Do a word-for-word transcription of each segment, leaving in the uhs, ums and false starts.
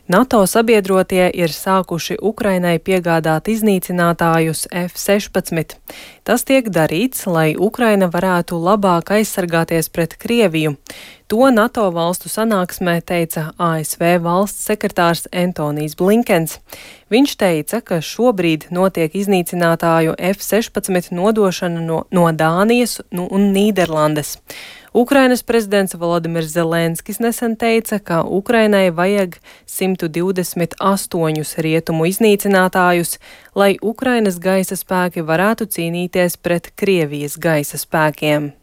NATO sabiedrotie ir sākuši Ukrainai piegādāt iznīcinātājus F sešpadsmit. Tas tiek darīts, lai Ukraina varētu labāk aizsargāties pret Krieviju. To NATO valstu sanāksmē teica A S V valsts sekretārs Antonijs Blinkens. Viņš teica, ka šobrīd notiek iznīcinātāju F sešpadsmit nodošana no, no Dānijas nu, un Nīderlandes. Ukrainas prezidents Volodimirs Zelenskis nesen teica, ka Ukrainai vajag simt divdesmit astoņus rietumu iznīcinātājus, lai Ukrainas gaisa spēki varētu cīnīties pret Krievijas gaisa spēkiem.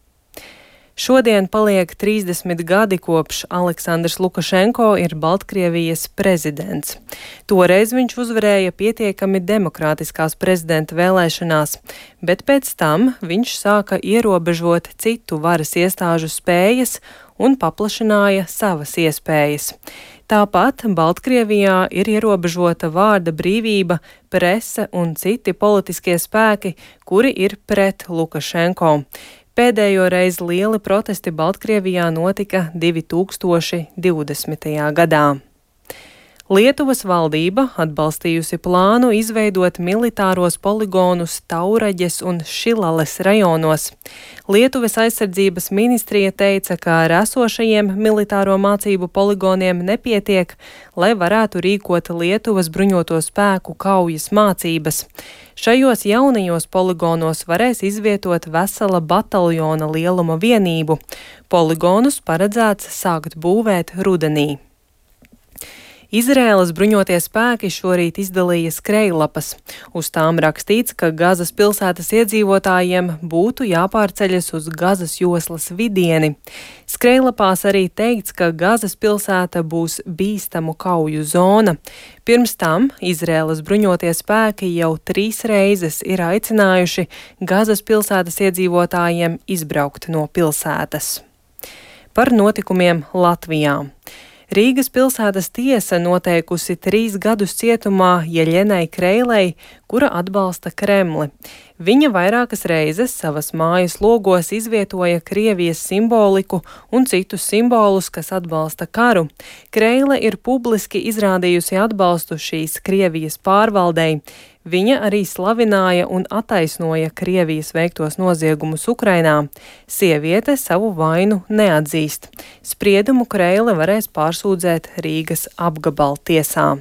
Šodien paliek trīsdesmit gadi kopš Aleksandrs Lukašenko ir Baltkrievijas prezidents. Toreiz viņš uzvarēja pietiekami demokrātiskās prezidenta vēlēšanās, bet pēc tam viņš sāka ierobežot citu varas iestāžu spējas un paplašināja savas iespējas. Tāpat Baltkrievijā ir ierobežota vārda brīvība, prese un citi politiskie spēki, kuri ir pret Lukašenko. Pēdējo reizi lieli protesti Baltkrievijā notika divi tūkstoši divdesmitajā gadā. Lietuvas valdība atbalstījusi plānu izveidot militāros poligonus Tauraģes un Šilales rajonos. Lietuvas aizsardzības ministrija teica, ka ar esošajiem militāro mācību poligoniem nepietiek, lai varētu rīkot Lietuvas bruņoto spēku kaujas mācības. Šajos jaunajos poligonos varēs izvietot vesela bataljona lieluma vienību. Poligonus paredzēts sākt būvēt rudenī. Izraēlas bruņotie spēki šorīt izdalīja skrejlapas. Uz tām rakstīts, ka Gazas pilsētas iedzīvotājiem būtu jāpārceļas uz Gazas joslas vidieni. Skrejlapās arī teikts, ka Gazas pilsēta būs bīstamu kauju zona. Pirms tam Izraēlas bruņotie spēki jau trīs reizes ir aicinājuši Gazas pilsētas iedzīvotājiem izbraukt no pilsētas. Par notikumiem Latvijā. Rīgas pilsētas tiesa noteikusi trīs gadus cietumā Jeļenai Kreilei, kura atbalsta Kremli. Viņa vairākas reizes savas mājas logos izvietoja Krievijas simboliku un citus simbolus, kas atbalsta karu. Kreile ir publiski izrādījusi atbalstu šīs Krievijas pārvaldei. Viņa arī slavināja un attaisnoja Krievijas veiktos noziegumus Ukrainā. Sieviete savu vainu neatzīst. Spriedumu Kreile varēs pārsūdzēt Rīgas apgabaltiesā.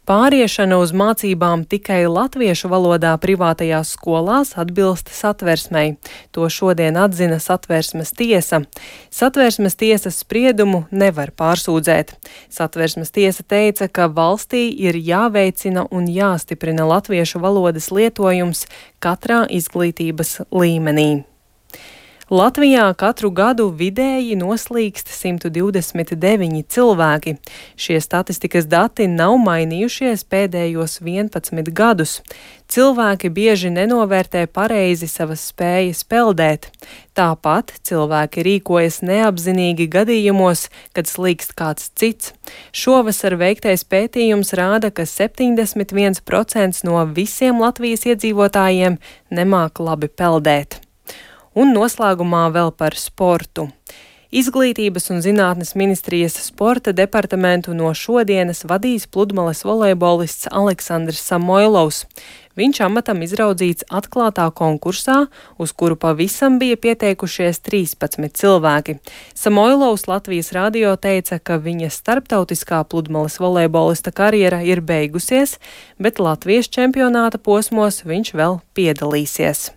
Pāriešana uz mācībām tikai latviešu valodā privātajās skolās atbilst Satversmei. To šodien atzina Satversmes tiesa. Satversmes tiesas spriedumu nevar pārsūdzēt. Satversmes tiesa teica, ka valstī ir jāveicina un jāstiprina latviešu valodas lietojums katrā izglītības līmenī. Latvijā katru gadu vidēji noslīkst simt divdesmit deviņi cilvēki. Šie statistikas dati nav mainījušies pēdējos vienpadsmit gadus. Cilvēki bieži nenovērtē pareizi savas spējas peldēt. Tāpat cilvēki rīkojas neapzinīgi gadījumos, kad slīkst kāds cits. Šovasar veiktais pētījums rāda, ka septiņdesmit viens procents no visiem Latvijas iedzīvotājiem nemāk labi peldēt. Un noslēgumā vēl par sportu. Izglītības un zinātnes ministrijas sporta departamentu no šodienas vadīs pludmales volejbolists Aleksandrs Samoilovs. Viņš amatam izraudzīts atklātā konkursā, uz kuru pavisam bija pieteikušies trīspadsmit cilvēki. Samoilovs Latvijas radio teica, ka viņa starptautiskā pludmales volejbolista karjera ir beigusies, bet Latvijas čempionāta posmos viņš vēl piedalīsies.